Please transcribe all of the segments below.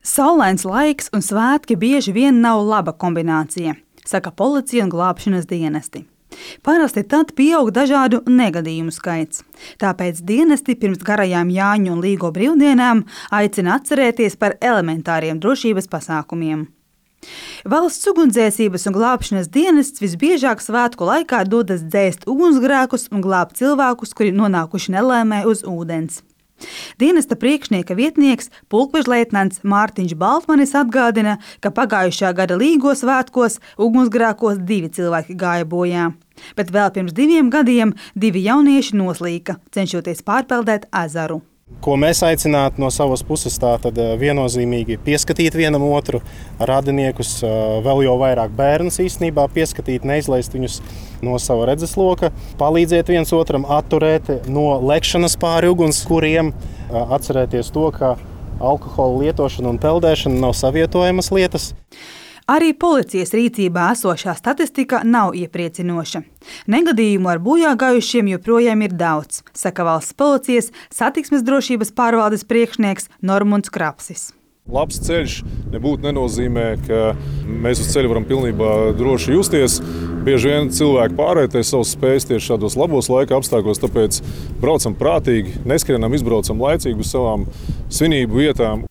Saulains laiks un svētki bieži vien nav laba kombinācija, saka policija un glābšanas dienesti. Parasti tad pieaug dažādu negadījumu skaits. Tāpēc dienesti pirms garajām Jāņu un Līgo brīvdienām aicina atcerēties par elementāriem drošības pasākumiem. Valsts ugunsdzēsības un glābšanas dienests visbiežāk svētku laikā dodas dzēst ugunsgrēkus un glābt cilvēkus, kuri nonākuši nelaimē uz ūdens. Dienesta priekšnieka vietnieks pulkvežleitnants Mārtiņš Baltmanis atgādina, ka pagājušā gada Līgo svētkos ugunsgrēkos 2 cilvēki gāja bojā, bet vēl pirms 2 gadiem 2 jaunieši noslīka, cenšoties pārpeldēt ezeru. Ko mēs aicinātu no savas puses, tātad viennozīmīgi pieskatīt vienam otru, radiniekus, vēl jau vairāk bērnus īstenībā pieskatīt, neizlaist viņus no sava redzesloka, palīdzēt viens otram atturēt no lekšanas pāri ugunskuriem, atcerēties to, ka alkohola lietošana un peldēšana nav savietojamas lietas. Arī policijas rīcībā esošā statistika nav iepriecinoša. Negadījumu ar bojāgājušiem joprojām ir daudz, saka valsts policijas satiksmes drošības pārvaldes priekšnieks Normunds Krapsis. Labs ceļš nebūtu nenozīmē, ka mēs uz ceļa varam pilnībā droši justies. Bieži vien cilvēki pārvērtē savas spējas tieši šādos labos laika apstākļos, tāpēc braucam prātīgi, neskrienam, izbraucam laicīgi uz savām svinību vietām.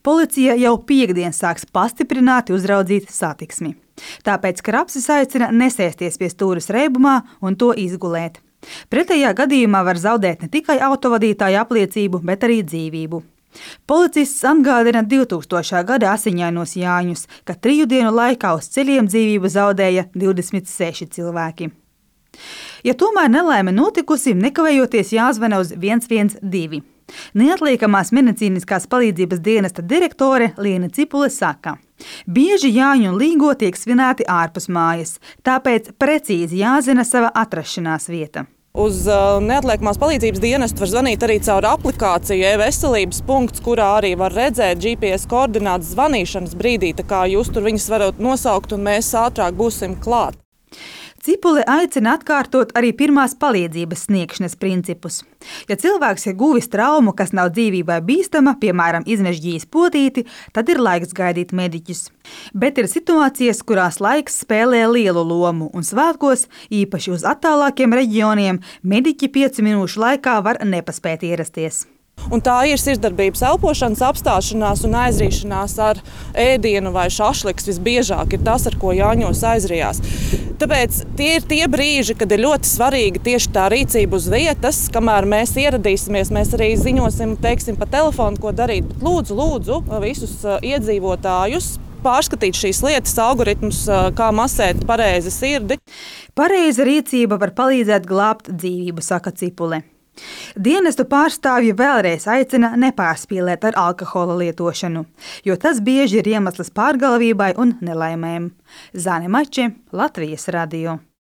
Policija jau piekdien sāks pastiprināti uzraudzīt satiksmi. Tāpēc Krapsis aicina nesēsties pie stūres reibumā un to izgulēt. Pretējā gadījumā var zaudēt ne tikai autovadītāja apliecību, bet arī dzīvību. Policists atgādina 2000. gada asiņainos Jāņus, ka 3 dienu laikā uz ceļiem dzīvību zaudēja 26 cilvēki. Ja tomēr nelaime notikusi, nekavējoties jāzvana uz 112. Neatliekamās medicīniskās palīdzības dienesta direktore Liena Cipule saka, bieži Jāņu un Līgo tiek svinēti ārpus mājas, tāpēc precīzi jāzina sava atrašanās vieta. Uz neatliekamās palīdzības dienestu var zvanīt arī caur aplikāciju e-veselības punkts, kurā arī var redzēt GPS koordinātas zvanīšanas brīdī, tā kā jūs tur viņas varat nosaukt un mēs ātrāk būsim klāt. Cipule aicina atkārtot arī pirmās palīdzības sniegšanas principus. Ja cilvēks ir guvis traumu, kas nav dzīvībai bīstama, piemēram, izmežģījis potīti, tad ir laiks gaidīt mediķus. Bet ir situācijas, kurās laiks spēlē lielu lomu, un svētkos, īpaši uz attālākiem reģioniem, mediķi 5 minūšu laikā var nepaspēt ierasties. Un tā ir sirdsdarbības elpošanas apstāšanās un aizrīšanās ar ēdienu vai šašliks visbiežāk ir tas, ar ko Jāņos aizrijās. Tāpēc tie ir tie brīži, kad ir ļoti svarīga tieši tā rīcība uz vietas, kamēr mēs ieradīsimies, mēs arī ziņosim, teiksim, pa telefonu, ko darīt. Bet lūdzu visus iedzīvotājus pārskatīt šīs lietas, algoritmus, kā masēt pareizi sirdi. Pareiza rīcība var palīdzēt glābt dzīvību, saka Cipule. Dienestu pārstāvji vēlreiz aicina nepārspīlēt ar alkohola lietošanu, jo tas bieži ir iemesls pārgalvībai un nelaimēm. Zane Mače, Latvijas radio.